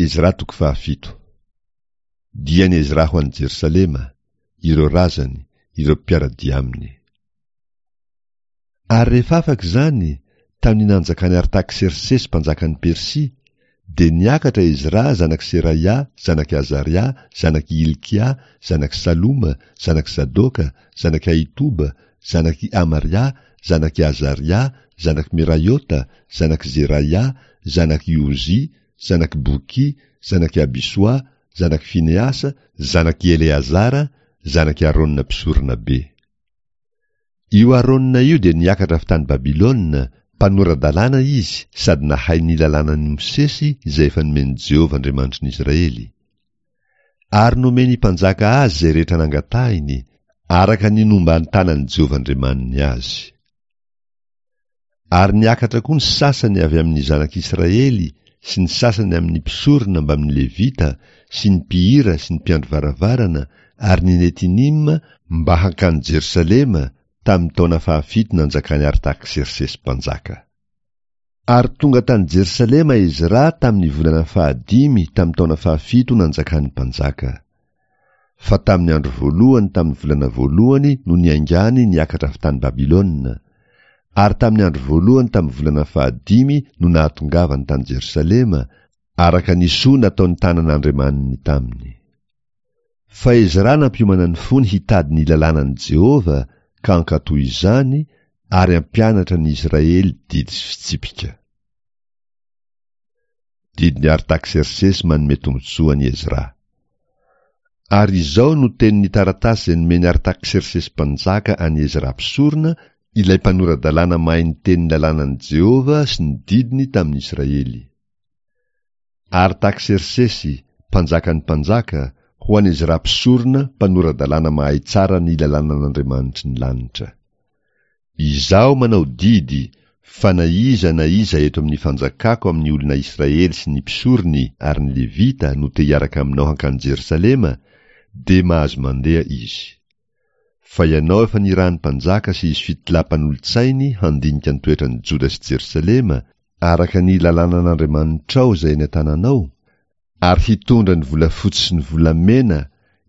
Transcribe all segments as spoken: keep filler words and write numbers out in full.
Ezra toko fahafito. Dian'i Ezra ho any Jerosalema, ireo razany, ireo mpiara-dia aminy. Ary rehefa afaka izany, tamin'ny nanjakan'i Artaksersesy mpanjakan'i Persia, dia niakatra Ezra zanak'i Seraia, zanak'i Azaria, zanak'i Hilkia, zanak'i Saloma, zanak'i Zadoka, zanak'i Ahitoba, zanak'i Amaria, zanak'i Azaria, zanak'i Meraiota, zanak'i Zeraia, zanak'i Ozia, zanak'i Boky, zanak'i Abisoa, zanak'i Fineasa, zanak'i Eleazara, zanak'i Arona mpisoronabe. Io Arona io dia niakatra avy tany Babylona, mpanora-dalàna izy sady nahay ny lalànan'i Mosesy izay efa nomen'i Jehovah Andriamanitry ny Israely. Ary nomen'ny mpanjaka azy izay rehetra nangatahiny, araka ny nomban-tanan'i Jehovah Andriamaniny azy. Ary niakatra koa ny sasany avy amin'ny zanak'Israely sy ny sasany amin'ny mpisorona mbamin'ny Levita sy ny mpihira sy ny mpiandry varavarana ary ny Netinima mba hankany Jerosalema tamin'ny taona fahafito nanjakan'i Artaksersesy mpanjaka. Ary tonga tany Jerosalema Ezra tamin'ny volana fahadimy tamin'ny taona fahafito nanjakan'ny mpanjaka. Fa tamin'ny andro voalohany tamin'ny volana voalohany no niaingany niakatra avy tany Babylona, ary tamin'ny andro voalohany tamin'ny volana fahadimy no nahatongavany tany Jerosalema, araka ny soa nataon'ny tanan'Andriamaniny taminy. Fa Ezra nampiomana ny fony hitady ny lalànan'i Jehovah ka hankatò izany ary hampianatra ny Israely didy sy fitsipika. Didin'i Artaksersesy manome tombontsoa an'i Ezra. Ary izao no tenin'ny taratasy izay nomen'i Artaksersesy mpanjaka an'i Ezra mpisorona, ilay mpanora-dalàna mahay ny tenin'ny lalànan'i Jehovah sy ny didiny tamin'ny Israely. Artaksersesy, mpanjakan'ny mpanjaka, ho an'i Ezra mpisorona, mpanora-dalàna mahay tsara ny lalànan'Andriamanitry ny lanitra. Izaho manao didy fa na iza na iza eto amin'ny fanjakako amin'ny olona Israely sy ny mpisorony ary ny Levita no te hiaraka aminao hankany Jerosalema, dia mahazo mandeha izy. Fa ianao efa nirahan'ny mpanjaka sy izy fitolahy mpanolotsainy handinika ny toetran'i Joda sy Jerosalema araka ny lalànan'Andriamanitrao izay eny an-tananao, ary hitondra ny volafotsy sy ny volamena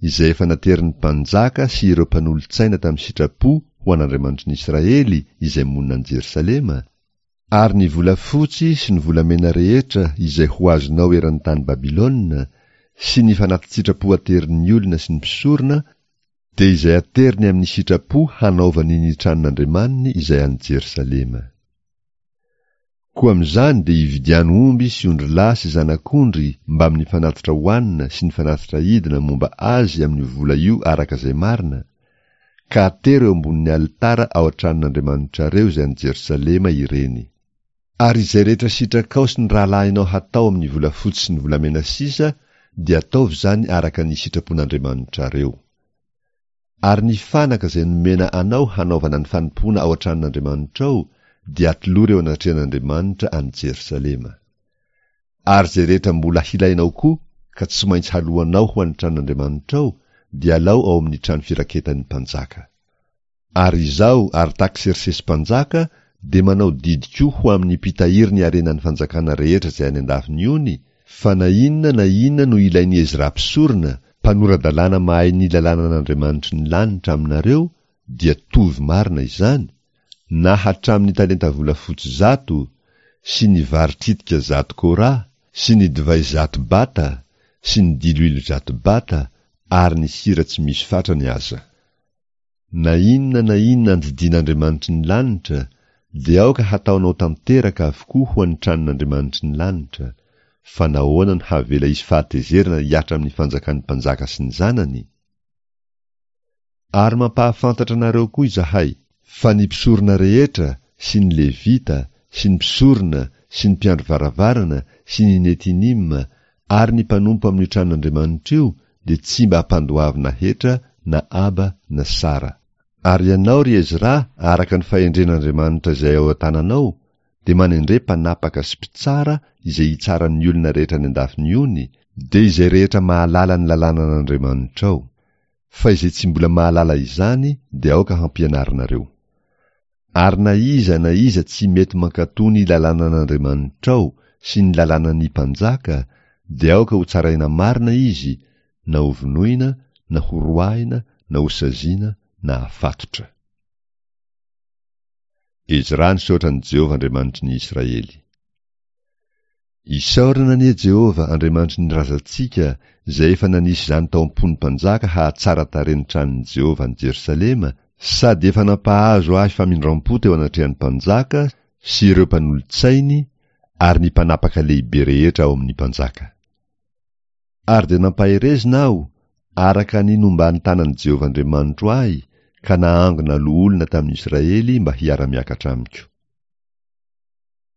izay efa naterin'ny mpanjaka sy ireo mpanolotsaina tamin'ny sitrapo ho an'Andriamanitry ny Israely izay monina any Jerosalema, ary ny volafotsy sy ny volamena rehetra izay ho azonao eran'ny tany Babylona, sy ny fanati-tsitrapo aterin'ny olona sy ny mpisorona, dia izay ateriny amin'ny sitrapo hanaovany ny tranon'Andriamaniny izay any Jerosalema. Koa amin'izany dia ividiano omby sy ondrilahy sy zanak'ondry mbamin'ny fanatitra hohanina sy ny fanatitra hidina momba azy amin'io vola io araka izay marina, ka atero eo ambonin'ny alitara ao an-tranon'Andriamanitrareo izay any Jerosalema ireny. Ary izay rehetra sitrakao sy ny rahalahinao hatao amin'ny volafotsy sy ny volamena sisa dia ataovy izany araka ny sitrapon'Andriamanitrareo. Ary ny fanaka izay nomena anao hanaovana ny fanompoana ao an-tranon'Andriamanitrao dia atolory eo anatrehan'Andriamanitra any Jerosalema. Ary izay rehetra mbola hilainao koa ka tsy maintsy haloanao ho an'ny tranon'Andriamanitrao dia alao ao amin'ny trano firaketan'ny mpanjaka. Ary izaho, Artaksersesy mpanjaka, dia manao didy koa ho amin'ny mpitahiry ny harenan'ny fanjakana rehetra izay any an-dafin'ny ony, fa na inona na inona no ilain'i Ezra mpisorona, mpanora-dalàna mahay ny lalànan'Andriamanitry ny lanitra aminareo, dia tovy marina izany, na hatramin'ny talenta volafotsy zato, sy ny vary tritika zato kora, sy ny divay zato bata, sy ny diloilo zato bata, ary ny sira tsy misy fatrany aza. Na inona na inona andidian'Andriamanitry ny lanitra, dia aoka hataonao tanteraka avokoa ho an'ny tranon'Andriamanitry ny lanitra, fa nahoana no havela hisy fahatezerana hihatra amin'ny fanjakan'ny mpanjaka sy ny zanany? Ary mampahafantatra anareo koa izahay, fa ny mpisorona rehetra sy ny Levita sy ny mpisorona sy ny mpiandry varavarana sy ny Netinima ary ny mpanompo amin'io tranon'Andriamanitra io dia tsy mba ampandoavina hetra na aba na sara. Ary ianao, ry Ezra, araka ny fahendren'Andriamanitra izay ao an-tananao, dia manendre mpanapaka sy mpitsara izay hitsara ny olona rehetra any an-dafin'ny ony, dia izay rehetra mahalala ny lalànan'Andriamanitrao. Fa izay tsy mbola mahalala izany dia aoka hampianarinareo. Ary na iza na iza tsy mety mankatò ny lalànan'Andriamanitrao sy ny lalànan'ny mpanjaka, dia aoka hotsaraina marina izy, na hovonoina, na horoahina, na hosaziana, na hafatotra. Ezra nisaotra an'i Jehovah Andriamanitry ny Israely. Isaorana anie Jehovah Andriamanitry ny razantsika izay efa nanisy izany tao am-pon'ny mpanjaka hahatsara tarehy ny tranon'i Jehovah any Jerosalema sady efa nampahazo ahy famindram-po teo anatrehan'ny mpanjaka sy ireo mpanolotsainy ary ny mpanapaka lehibe rehetra ao amin'ny mpanjaka. Ary dia nampaherezina aho araka ny nomban'ny tanan'i Jehovah Andriamanitro ahy ka nahangona loholona tamin'ny Israely mba hiara-miakatra amiko.